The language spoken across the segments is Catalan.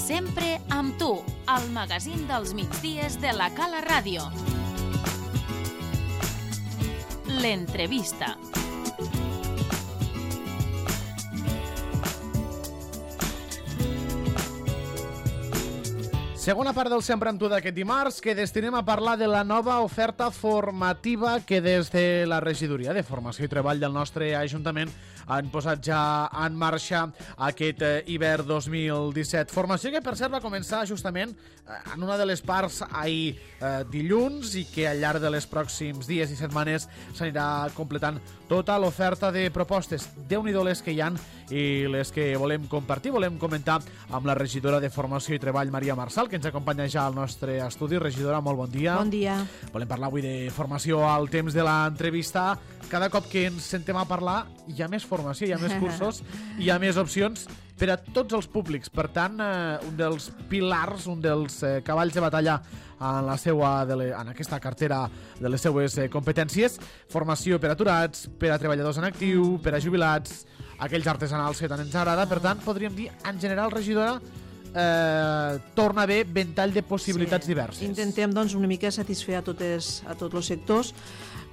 Sempre amb tu, al magazín dels migdies de la Cala Ràdio. L'entrevista. Segona part del Sempre amb tu d'aquest dimarts, que destinem a parlar de la nova oferta formativa que des de la Regidoria de Formació i Treball del nostre Ajuntament han posat ja en marxa aquest hivern 2017. Formació que, per cert, va començar justament en una de les parts ahir dilluns i que al llarg de les pròxims dies i setmanes s'anirà completant tota l'oferta de propostes. Déu-n'hi-do les que hi ha i les que volem compartir, volem comentar amb la regidora de Formació i Treball, Maria Marçal, que ens acompanya ja al nostre estudi. Regidora, molt bon dia. Bon dia. Volem parlar avui de formació al temps de l'entrevista. Cada cop que ens sentem a parlar hi ha més formació, hi ha més cursos, hi ha més opcions per a tots els públics. Per tant, un dels pilars, un dels cavalls de batalla en aquesta cartera de les seues competències, formació per a aturats, per a treballadors en actiu, per a jubilats, aquells artesanals que tant ens agrada. Per tant, podríem dir, en general, regidora, torna a haver ventall de possibilitats diverses. Intentem doncs, una mica satisfer a tots els sectors.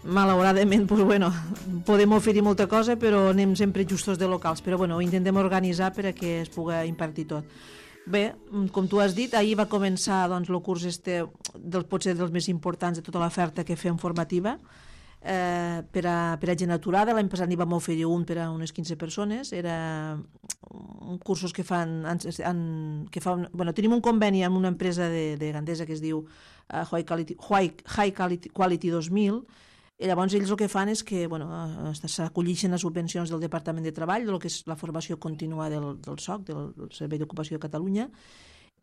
Malauradament, podem oferir molta cosa, però anem sempre justos de locals, però ho intentem organitzar perquè es pugui impartir tot. Bé, com tu has dit, ahir va començar el curs potser dels més importants de tota l'oferta que fem formativa per a gent aturada. L'any passat n'hi vam oferir un per a unes 15 persones. Era cursos que fan... tenim un conveni amb una empresa de Gandesa que es diu High Quality 2000. I llavors ells el que fan és que s'acollixen a subvencions del Departament de Treball, del que és la formació contínua del SOC, del Servei d'Ocupació de Catalunya,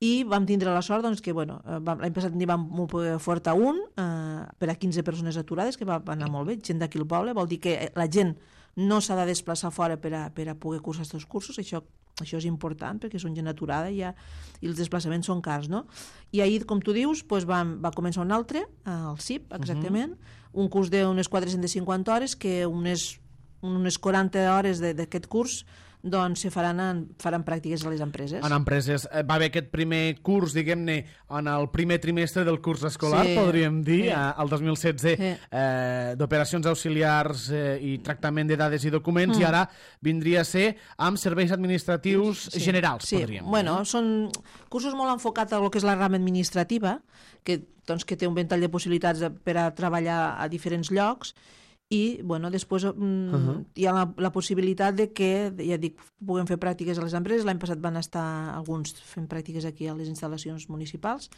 i vam tindre la sort que l'any passat n'hi vam poder ofertar un per a 15 persones aturades, que va anar molt bé, gent d'aquí al poble. Vol dir que la gent no s'ha de desplaçar fora per a poder cursar aquests cursos. Això és important perquè són gent aturada i els desplaçaments són cars, no? I ahir, com tu dius, va començar un altre, al CIP, exactament, un curs d'unes 450 hores, que unes 40 hores d'aquest curs faran pràctiques a les empreses. En empreses. Va haver aquest primer curs, diguem-ne, en el primer trimestre del curs escolar, podríem dir, el 2016, d'operacions auxiliars i tractament de dades i documents, i ara vindria a ser amb serveis administratius generals, podríem dir. Són cursos molt enfocats a lo que és la rama administrativa, que té un ventall de possibilitats per a treballar a diferents llocs, i després hi ha la possibilitat de que, ja dic, puguem fer pràctiques a les empreses. L'any passat van estar alguns fent pràctiques aquí a les instal·lacions municipals,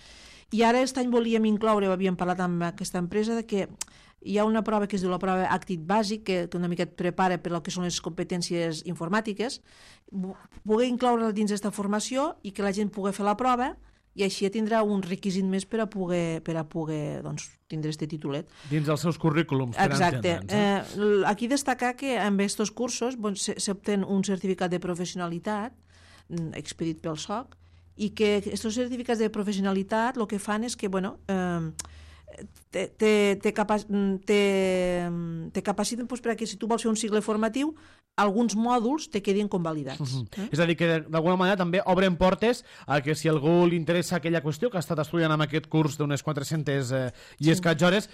i ara aquest any volíem incloure, havíem parlat amb aquesta empresa, que hi ha una prova que es diu la prova Actit Bàsic, que una mica et prepara per el que són les competències informàtiques, poder incloure-la dins d'aquesta formació i que la gent pugui fer la prova, i així tindrà un requisit més per a poder tindre aquest titulet. Dins dels seus currículums, per entendre'ns. Exacte. Aquí destacar que amb aquests cursos s'obtén un certificat de professionalitat expedit pel SOC, i que aquests certificats de professionalitat el que fan és que te capaciten perquè si tu vols fer un cicle formatiu, alguns mòduls te quedin convalidats. És a dir, que d'alguna manera també obren portes a que si algú li interessa aquella qüestió que ha estat estudiant amb aquest curs d'unes 400 i escaig hores,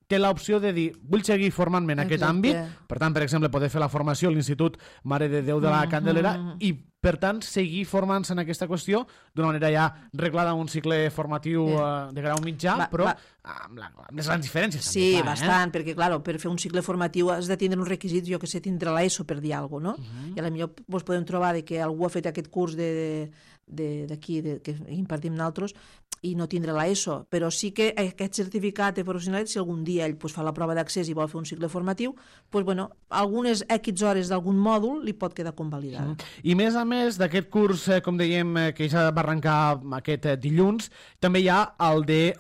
té l'opció de dir, vull seguir formant-me en aquest àmbit, per tant, per exemple, poder fer la formació a l'Institut Mare de Déu de la Candelera i, per tant, seguir formant-se en aquesta qüestió d'una manera ja reglada en un cicle formatiu de grau mitjà, però amb les grans diferències. Sí, bastant, perquè, clar, per fer un cicle formatiu has de tindre uns requisits, jo que sé, tindre l'ESO per dir alguna cosa, no? I potser podem trobar que algú ha fet aquest curs d'aquí, que impartim nosaltres, i no tindre l'ESO, però sí que aquest certificat de professionalitat, si algun dia ell fa la prova d'accés i vol fer un cicle formatiu, algunes X hores d'algun mòdul li pot quedar convalidat. I més a més d'aquest curs, com dèiem, que ja va arrencar aquest dilluns, també hi ha el de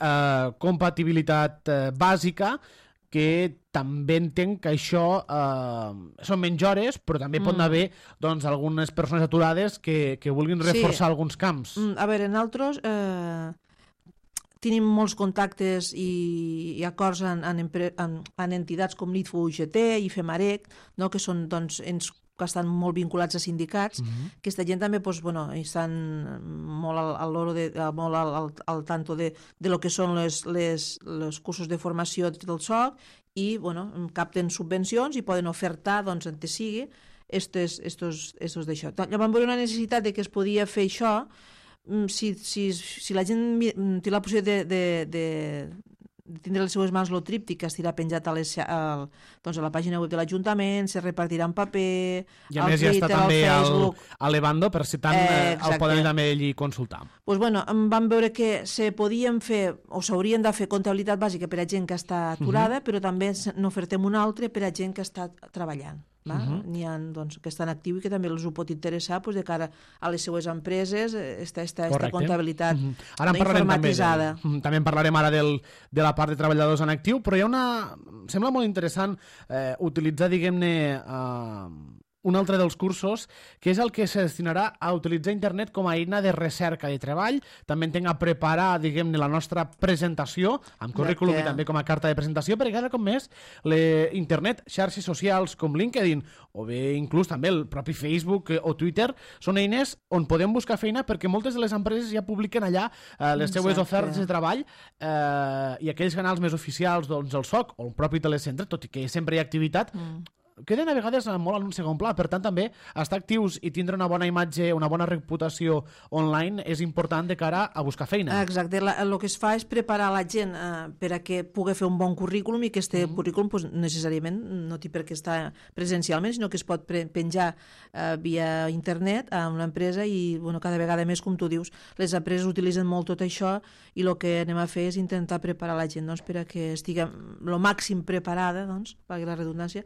compatibilitat bàsica, que també entenc que això són menys hores, però també pot haver algunes persones aturades que vulguin reforçar alguns camps. A veure, nosaltres tenim molts contactes i acords en entitats com l'ITFO UGT i FEMAREC, que són ens que estan molt vinculats a sindicats, aquesta gent també estan molt al loro molt al tanto de lo que són els cursos de formació del SOC i capten subvencions i poden ofertar, doncs, on sigui, estos d'això. Llavors vam veure una necessitat de que es podia fer això si la gent té la possibilitat de tindre les seues mans lo tríptic que estirà penjat a la pàgina web de l'Ajuntament, se repartirà en paper, i a més ja està també a l'Evando, per si tant el poden també allí consultar. Doncs vam veure que se podien fer o s'haurien de fer comptabilitat bàsica per a gent que està aturada, però també n'ofertem una altra per a gent que està treballant. N'hi ha que estan actius i que també els ho pot interessar de cara a les seues empreses aquesta comptabilitat informatitzada. També en parlarem ara de la part de treballadors en actiu, però hi ha sembla molt interessant utilitzar, diguem-ne, un altre dels cursos, que és el que se destinarà a utilitzar internet com a eina de recerca de treball, també entenc a preparar, diguem-ne, la nostra presentació, amb currículum i també com a carta de presentació, perquè cada cop més l'internet, xarxes socials com LinkedIn, o bé inclús també el propi Facebook o Twitter, són eines on podem buscar feina perquè moltes de les empreses ja publiquen allà les seues ofertes de treball i aquells canals més oficials, doncs el SOC o el propi telecentre, tot i que sempre hi ha activitat, queden a vegades molt en un segon pla. Per tant, també estar actius i tindre una bona imatge, una bona reputació online és important de cara a buscar feina. Exacte. El que es fa és preparar la gent per a que pugui fer un bon currículum i que aquest currículum necessàriament no té per què estar presencialment, sinó que es pot penjar via internet a una empresa i cada vegada més, com tu dius, les empreses utilitzen molt tot això i el que anem a fer és intentar preparar la gent per a que estigui el màxim preparada, per la redundància,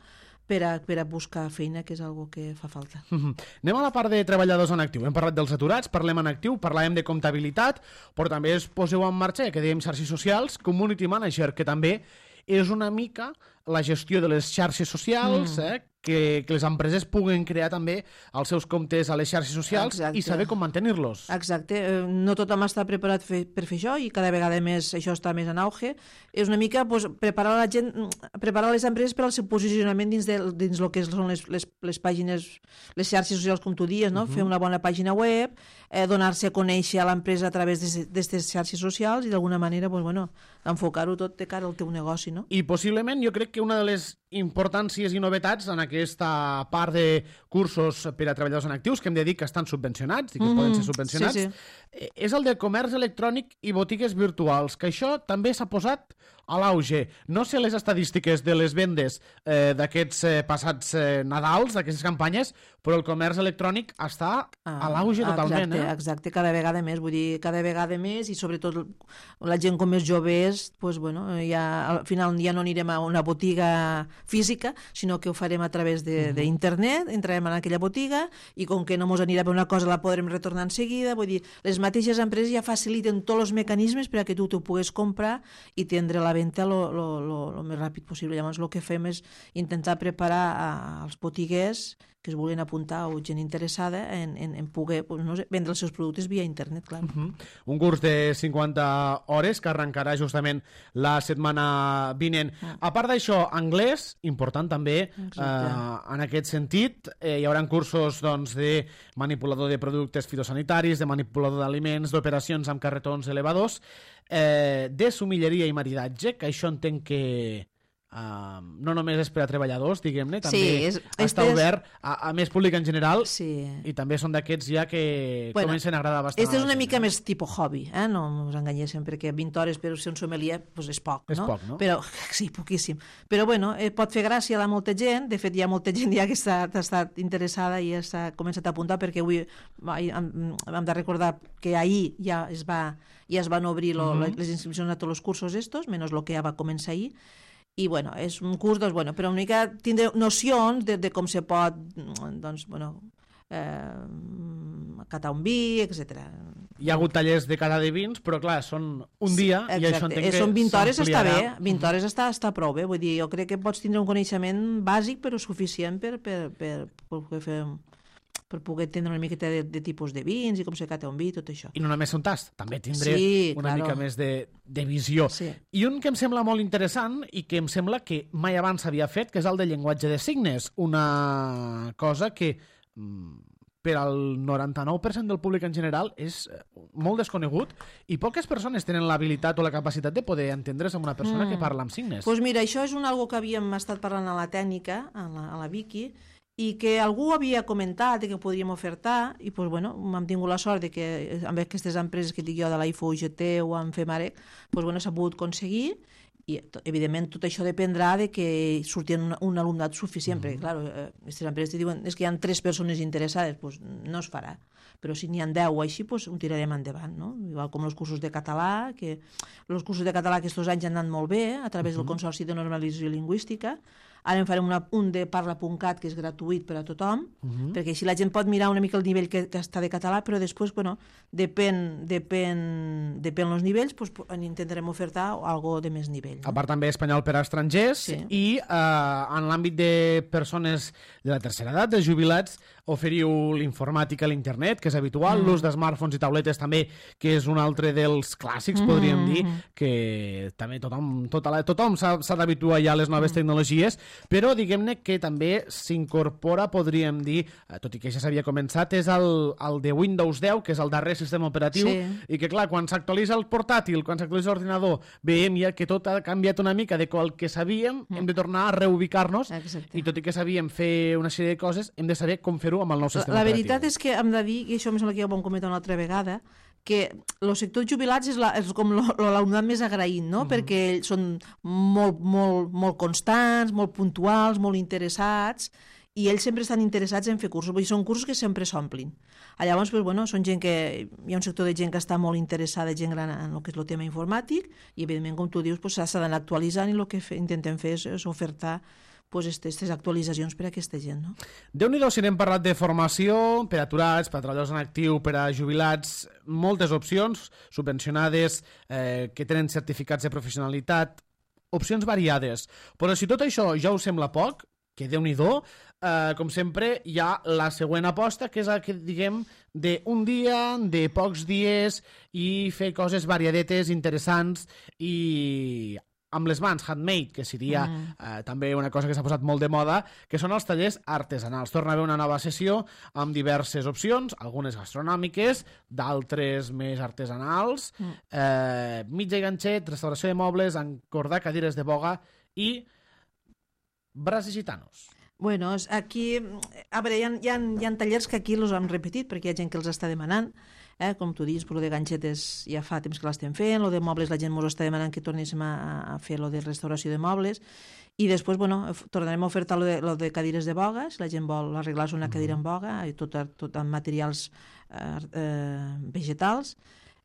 per a buscar feina, que és algo que fa falta. Anem a la part de treballadors en actiu. Hem parlat dels aturats, parlem en actiu, parlàvem de comptabilitat, però també es poseu en marxa, que dèiem xarxes socials, Community Manager, que també és una mica la gestió de les xarxes socials, que les empreses puguen crear també els seus comptes a les xarxes socials i saber com mantenir-los. Exacte. No tothom està preparat per fer això i cada vegada més això està més en auge. És una mica preparar la gent, preparar les empreses per al seu posicionament dins el que són les pàgines, les xarxes socials, com tu dius, no? Fer una bona pàgina web, donar-se a conèixer a l'empresa a través d'aquestes xarxes socials i d'alguna manera enfocar-ho tot de cara al teu negoci, no? I possiblement jo crec que una de les importàncies i novetats en aquesta part de cursos per a treballadors en actius, que hem de dir que estan subvencionats i que poden ser subvencionats, és el de comerç electrònic i botigues virtuals, que això també s'ha posat a l'auge. No sé les estadístiques de les vendes d'aquests passats Nadals, d'aquestes campanyes, però el comerç electrònic està a l'auge totalment. Exacte, cada vegada més, vull dir, cada vegada més, i sobretot la gent com és jove és, al final ja no anirem a una botiga física, sinó que ho farem a través d'internet, entrarem en aquella botiga i com que no ens anirà bé una cosa la podrem retornar en seguida, vull dir, les mateixes empreses ja faciliten tots els mecanismes per a que tu t'ho puguis comprar i tindre la venda el més ràpid possible. Llavors el que fem és intentar preparar als botiguers que es vulguin apuntar o gent interessada en poder vendre els seus productes via internet, clar. Un curs de 50 hores que arrencarà justament la setmana vinent. A part d'això, anglès, important també en aquest sentit. Hi haurà cursos de manipulador de productes fitosanitaris, de manipulador d'aliments, d'operacions amb carretons elevadors, de somilleria i maridatge, que això entenc que no només és per a treballadors, diguem-ne, també està obert a més públic en general i també són d'aquests ja que comencen a agradar bastant. Este és una mica més tipus hobby, no ens enganyéssim, perquè 20 hores per ser un sommelier és poc, no? És poc, no? Però, sí, poquíssim. Però bueno, pot fer gràcia a molta gent, de fet hi ha molta gent ja que ha estat interessada i ja s'ha començat a apuntar, perquè avui hem de recordar que ahir ja es van obrir les inscripcions a tots els cursos estos, menys el que ja va començar ahir. I, és un curs, però una mica tindre nocions de com se pot, catar un vi, etc. Hi ha hagut tallers de cata de vins, però clar, són un dia i això entenc que són 20 hores, està bé, 20 hores està prou bé, vull dir, jo crec que pots tindre un coneixement bàsic però suficient per poder fer per poder entendre una miqueta de tipus de vins i com se cata un vi, tot això. I no només un tast, també tindré una mica més de visió. Sí. I un que em sembla molt interessant i que em sembla que mai abans s'havia fet, que és el de llenguatge de signes, una cosa que per al 99% del públic en general és molt desconegut i poques persones tenen l'habilitat o la capacitat de poder entendre's amb una persona que parla amb signes. Doncs mira, això és algo que havíem estat parlant a la tècnica, a la Vicky, i que algú havia comentat que podríem ofertar i doncs, bueno, hem tingut la sort de que amb aquestes empreses que dic jo de la IFO UGT o amb FEMAREC doncs, bueno, s'ha pogut aconseguir i evidentment tot això dependrà de que surti un alumnat suficient, perquè clar, aquestes empreses te diuen que hi ha 3 persones interessades, doncs no es farà, però si n'hi ha 10 o així, doncs ho tirarem endavant, no? Igual com els cursos de català, que els cursos de català aquests anys han anat molt bé a través del Consorci de Normalització Lingüística. Ara en farem un de parla.cat que és gratuït per a tothom, perquè així la gent pot mirar una mica el nivell que està de català, però després, bueno, depèn els nivells, doncs intentarem ofertar algo de més nivell. A part també espanyol per a estrangers i en l'àmbit de persones de la tercera edat, de jubilats, oferiu l'informàtica a l'internet, que és habitual, l'ús de smartphones i tabletes també, que és un altre dels clàssics, podríem dir, que també tothom s'ha d'habituar ja a les noves tecnologies, però diguem-ne que també s'incorpora, podríem dir, tot i que ja s'havia començat, és el de Windows 10, que és el darrer sistema operatiu, i que clar, quan s'actualitza el portàtil, quan s'actualitza l'ordinador, veiem ja que tot ha canviat una mica de qual que sabíem, hem de tornar a reubicar-nos, i tot i que sabíem fer una sèrie de coses, hem de saber com fer-ho amb el nou sistema operatiu. La veritat és que hem de dir, i això em sembla que ja ho vam comentar una altra vegada, que els sectors jubilats és com l'alumnat més agraït, no? Perquè ells són molt constants, molt puntuals, molt interessats, i ells sempre estan interessats en fer cursos, vull dir, són cursos que sempre s'omplin. Llavors, doncs, bueno, són gent que hi ha un sector de gent que està molt interessada, gent gran en el que és el tema informàtic, i evidentment, com tu dius, s'ha d'anar actualitzant i el que intentem fer és ofertar aquestes actualitzacions per a aquesta gent. No? Déu-n'hi-do, si n'hem parlat de formació per a aturats, per a treballadors en actiu, per a jubilats, moltes opcions subvencionades, que tenen certificats de professionalitat, opcions variades. Però si tot això ja us sembla poc, que Déu-n'hi-do, com sempre hi ha la següent aposta, que és la que diguem d'un dia, de pocs dies, i fer coses variadetes, interessants i amb les mans, handmade, que seria també una cosa que s'ha posat molt de moda, que són els tallers artesanals. Torna a haver una nova sessió amb diverses opcions, algunes gastronòmiques, d'altres més artesanals, mitja i ganxet, restauració de mobles, encordar cadires de boga i braços gitanos. Bueno, aquí, a veure, hi ha tallers que aquí els hem repetit perquè hi ha gent que els està demanant, com tu dius, però de ganxetes ja fa temps que l'estem fent, lo de mobles la gent ens està demanant que tornéssim a fer lo de restauració de mobles, i després, bueno, tornarem a ofertar lo de cadires de boga, si la gent vol arreglar-se una cadira en boga, tot amb materials vegetals,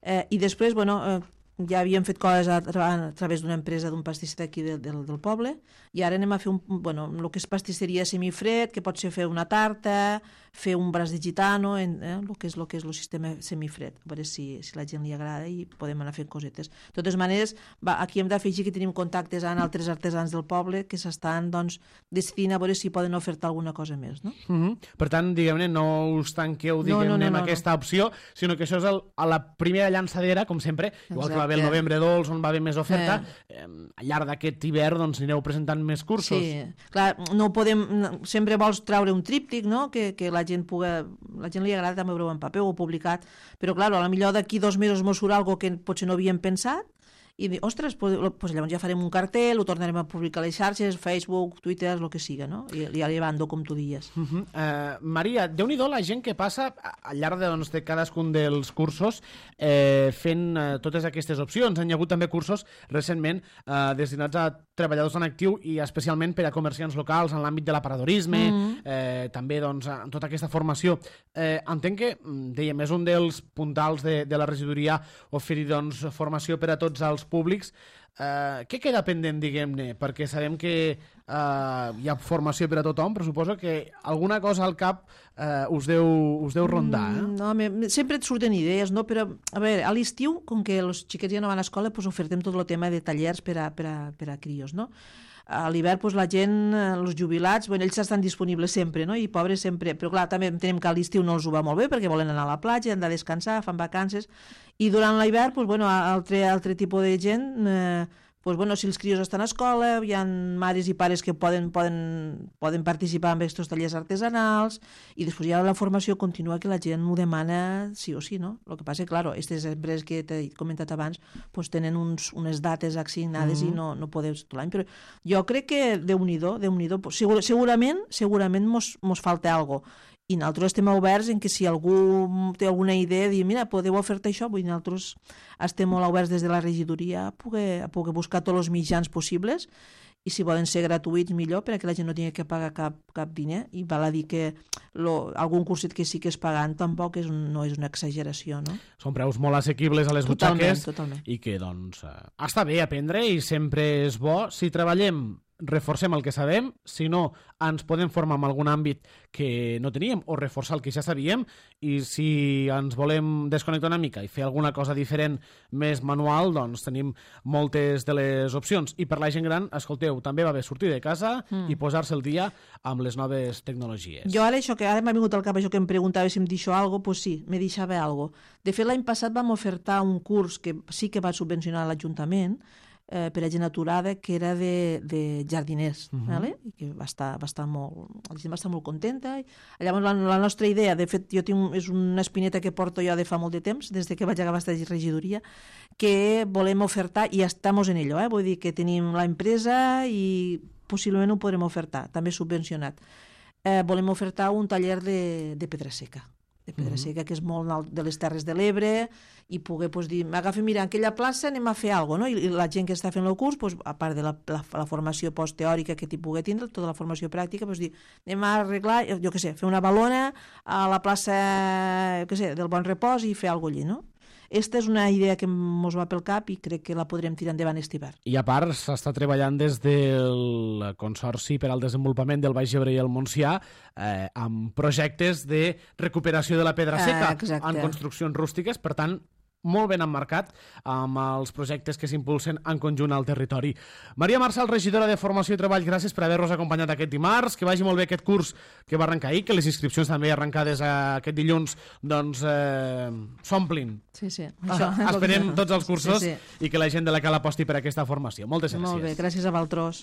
i després, bueno, ja havíem fet coses a través d'una empresa, d'un pastisser d'aquí del poble, i ara anem a fer el que és pastisseria semifred, que pot ser fer una tarta, fer un braç de gitano, el que és el sistema semifred, a veure si la gent li agrada i podem anar fent cosetes. De totes maneres, aquí hem d'afegir que tenim contactes amb altres artesans del poble que s'estan decidint a veure si poden ofertar alguna cosa més. No? Per tant, diguem-ne, no us tanqueu amb aquesta opció, sinó que això és a la primera llançadera, com sempre, igual que va haver el novembre dolç, on va haver més oferta, al llarg d'aquest hivern anireu presentant més cursos. Sí, clar, no podem... Sempre vols treure un tríptic, no?, que la gent li agrada també veure-ho en paper o publicat, però clar, potser d'aquí 2 mesos mos surt alguna cosa que potser no havíem pensat i dir, ostres, doncs llavors ja farem un cartell, ho tornarem a publicar a les xarxes, Facebook, Twitter, el que siga, no? I llevant-ho, com tu dies. Maria, Déu-n'hi-do la gent que passa al llarg de cadascun dels cursos fent totes aquestes opcions. Han hi hagut també cursos recentment destinats a treballadors en actiu i especialment per a comerciants locals en l'àmbit de l'aparadorisme, també en tota aquesta formació. Entenc que, dèiem, és un dels puntals de la regidoria oferir formació per a tots els públics. Què queda pendent, diguem-ne? Perquè sabem que hi ha formació per a tothom, però suposo que alguna cosa al cap us deu rondar. No, sempre et surten idees, no? Però, a veure, a l'estiu, com que els xiquets ja no van a escola, doncs ofertem tot el tema de tallers per a crios, no? A l'hivern doncs, la gent, els jubilats, bueno, ells estan disponibles sempre, no? I pobres sempre, però clar, també entenem que a l'estiu no els ho va molt bé perquè volen anar a la platja, han de descansar, fan vacances, i durant l'hivern, doncs, bueno, altre tipus de gent, doncs, bueno, si els crios estan a escola, hi ha mares i pares que poden participar en aquests tallers artesanals, i després hi ha la formació contínua que la gent ho demana sí o sí, no? El que passa és que, clar, aquestes empreses que t'he comentat abans doncs tenen unes dates assignades i no podeu tot l'any, però jo crec que Déu-n'hi-do, segurament mos falta alguna cosa. I nosaltres estem oberts en que si algú té alguna idea, dir, mira, podeu ofertar això, vull dir, nosaltres estem molt oberts des de la regidoria a poder buscar tots els mitjans possibles, i si poden ser gratuïts millor, perquè la gent no tingui que pagar cap diner, i val a dir que algun curset que sí que és pagant tampoc no és una exageració, no? Són preus molt assequibles a les butxaques, totalment. I que, doncs, està bé aprendre i sempre és bo. Si treballem, reforcem el que sabem, si no, ens podem formar en algun àmbit que no teníem o reforçar el que ja sabíem, i si ens volem desconnectar una mica i fer alguna cosa diferent, més manual, doncs tenim moltes de les opcions. I per la gent gran, escolteu, també va bé sortir de casa i posar-se el dia amb les noves tecnologies. Jo ara m'ha vingut al cap això que em preguntava si em deixo alguna cosa, doncs sí, me deixava alguna cosa. De fet, l'any passat vam ofertar un curs que sí que va subvencionar l'Ajuntament, per a gent aturada, que era de jardiners, vale? I que va estar molt, la gent va estar molt contenta. Llavors la nostra idea, de fet és una espineta que porto jo de fa molt de temps, des que vaig acabar aquesta regidoria, que volem ofertar, i estamos en ello, vull dir que tenim l'empresa i possiblement ho podrem ofertar, també subvencionat. Volem ofertar un taller de pedra seca, seca, que és molt de les Terres de l'Ebre, i poder dir, m'agafa, mira, en aquella plaça anem a fer alguna cosa, no? I la gent que està fent el curs, a part de la formació postteòrica que t'hi pugui tindre, tota la formació pràctica, dir, anem a arreglar, jo què sé, fer una balona a la plaça, del Bon Repòs i fer alguna cosa allí, no? Aquesta és una idea que ens va pel cap i crec que la podrem tirar endavant aquest hivern. I a part, s'està treballant des del Consorci per al Desenvolupament del Baix Ebre i el Montsià amb projectes de recuperació de la pedra seca en construccions rústiques, per tant, molt ben emmarcat amb els projectes que s'impulsen en conjunt al territori. Maria Marçal, regidora de Formació i Treball, gràcies per haver-nos acompanyat aquest dimarts, que vagi molt bé aquest curs que va arrencar ahir, que les inscripcions també arrencades aquest dilluns doncs s'omplin. Sí. Esperem tots els cursos i que la gent de la Cala aposti per aquesta formació. Moltes gràcies. Molt bé, gràcies a vosaltres.